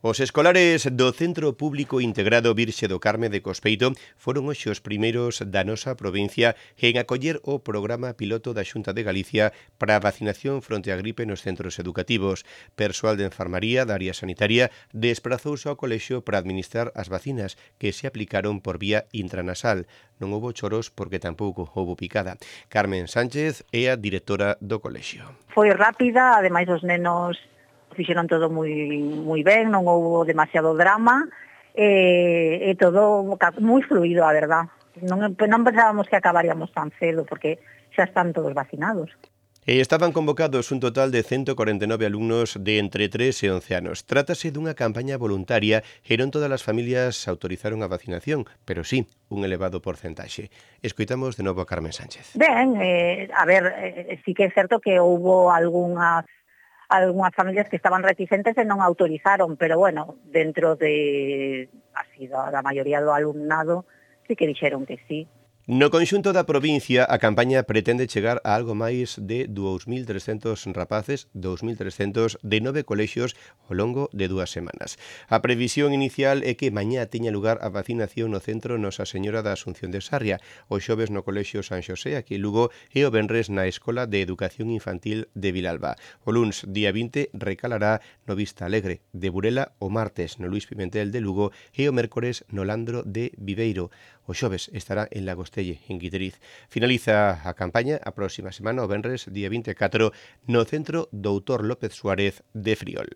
Os escolares do Centro Público Integrado Virxe do Carme de Cospeito foron hoxe os primeiros da nosa provincia en acoller o programa piloto da Xunta de Galicia para a vacinación fronte á gripe nos centros educativos. Persoal de enfermaría da área sanitaria desprazouse ao colexio para administrar as vacinas que se aplicaron por vía intranasal. Non houbo choros porque tampouco houbo picada. Carmen Sánchez é a directora do colexio. Foi rápida, ademais os nenos fixeron todo moi ben, non houbo demasiado drama, e todo moi fluido, a verdad. Non pensábamos que acabaríamos tan cedo, porque xa están todos vacinados. Estaban convocados un total de 149 alumnos de entre 3 e 11 anos. Trátase dunha campaña voluntaria e non todas as familias autorizaron a vacinación, pero sí, un elevado porcentaxe. Escoitamos de novo a Carmen Sánchez. Ben, sí que é certo que houbo algunhas familias que estaban reticentes e non autorizaron, pero bueno, dentro de da maioría do alumnado sí que dixeron que sí. No conxunto da provincia, a campaña pretende chegar a algo máis de 2.300 rapaces, 2.300 de 9 colexios ao longo de 2 semanas. A previsión inicial é que mañá teña lugar a vacinación no centro Nosa Señora da Asunción de Sarria, o xoves no colexio San Xosé, aquí en Lugo, e o venres na Escola de Educación Infantil de Vilalba. O luns, día 20, recalará no Vista Alegre de Burela, o martes no Luís Pimentel de Lugo e o mércores no Landro de Viveiro. O xoves estará en Lagostelle, en Guiteriz. Finaliza a campaña a próxima semana, o venres, día 24, no Centro Doutor López Suárez de Friol.